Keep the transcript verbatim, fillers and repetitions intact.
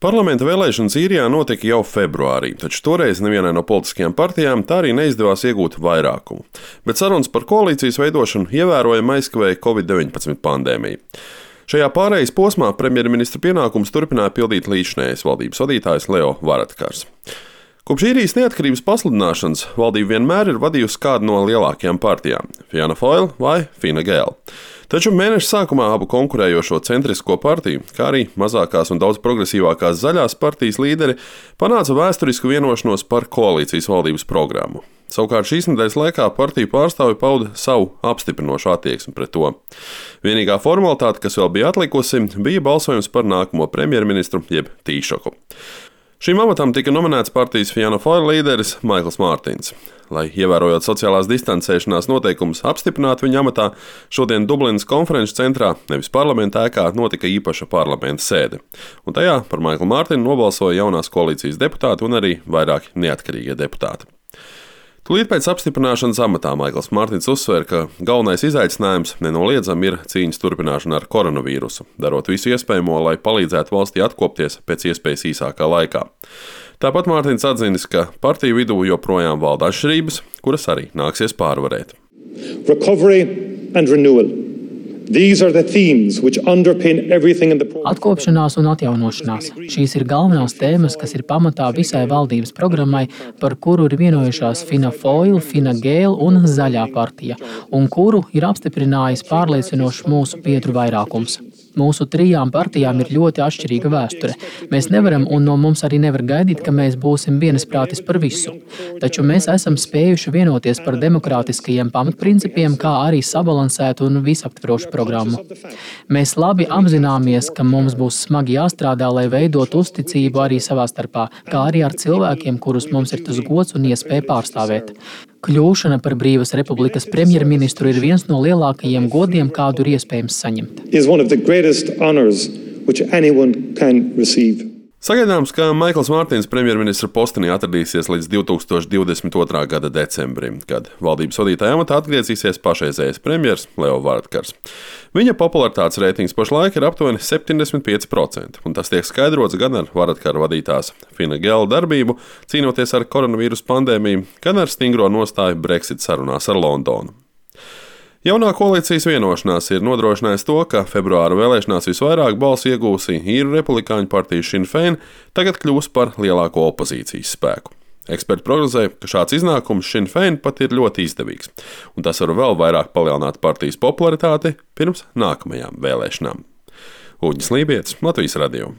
Parlamenta vēlēšanas Īrijā notika jau februārī, taču toreiz nevienai no politiskajām partijām tā arī neizdevās iegūt vairākumu. Bet sarunas par koalīcijas veidošanu ievērojami aizkavēja covid deviņpadsmit pandēmija. Šajā pārejas posmā premjerministra pienākumus turpināja pildīt līdzinējais valdības vadītājs Leo Varadkars. Kopš Īrijas neatkarības pasludināšanas valdība vienmēr ir vadījusi kādu no lielākajām partijām – Fianna Fáil vai Fine Gael. Taču mēneša sākumā abu konkurējošo centrisko partiju, kā arī mazākās un daudz progresīvākās zaļās partijas līderi panāca vēsturisku vienošanos par koalīcijas valdības programmu. Savukārt šīs nedēļas laikā partiju pārstāvi pauda savu apstiprinošu attieksmi pret to. Vienīgā formalitāte, kas vēl bija atlikusi, bija balsojums par nākamo premjerministru jeb Taoiseach. Šīm amatam tika nominēts partijas Fianna Fáil līderis Maikls Mārtiņs. Lai, ievērojot sociālās distancēšanās noteikumus, apstiprinātu viņa amatā, šodien Dublinas konferenču centrā, nevis parlamenta ēkā, notika īpaša parlamenta sēde. Un tajā par Maiklu Mārtiņu nobalsoja jaunās koalīcijas deputāti un arī vairāki neatkarīgie deputāti. Tūlīt pēc apstiprināšanas amatā Maikls Mārtiņs uzsver, ka galvenais izaicinājums nenoliedzami ir cīņas turpināšana ar koronavīrusu, darot visu iespējamo, lai palīdzētu valstī atkopties pēc iespējas īsākā laikā. Tāpat Mārtiņs atzinis, ka partiju vidū joprojām valda atšķirības, kuras arī nāksies pārvarēt. Recovery and renewal. These are the themes which underpin everything in the program. Atkopšanās un atjaunošanās. Šīs ir galvenās tēmas, kas ir pamatā visai valdības programmai, par kuru ir vienojušās Fianna Fáil, Fine Gael un Zaļā partija, un kuru ir apstiprinājis pārliecinošs mūsu biedru vairākums. Mūsu trijām partijām ir ļoti atšķirīga vēsture. Mēs nevaram un no mums arī nevar gaidīt, ka mēs būsim vienisprātis par visu. Taču mēs esam spējuši vienoties par demokrātiskajiem pamatprincipiem, kā arī sabalansētu un visaptverošu programmu. Mēs labi apzināmies, ka mums būs smagi jāstrādā, lai veidot uzticību arī savā starpā, kā arī ar cilvēkiem, kurus mums ir tas gods un iespēja pārstāvēt. Kļūšana par Brīvas Republikas premjerministru ir viens no lielākajiem godiem, kādu ir iespējams saņemt. Sagaidāms, ka Maikls Mārtiņs premjerministra postenī atradīsies līdz divi tūkstoši divdesmit otrā gada decembrim, kad valdības vadītāja amatā atgriezīsies pašreizējais premjers Leo Varadkars. Viņa popularitātes reitings pašlaik ir aptuveni septiņdesmit pieci procenti, un tas tiek skaidrots gan ar Varadkara vadītās Fine Gael darbību, cīnoties ar koronavīrusu pandēmiju, gan ar stingro nostāju Brexit sarunās ar Londonu. Jaunā koalīcijas vienošanās ir nodrošinājusi to, ka februāra vēlēšanās visvairāk balsu iegūsī īru republikāņu partija Sinn Féin tagad kļūs par lielāko opozīcijas spēku. Eksperti prognozē, ka šāds iznākums Sinn Féin pat ir ļoti izdevīgs, un tas var vēl vairāk palielināt partijas popularitāti pirms nākamajām vēlēšanām. Uģis Lībietis, Latvijas radio.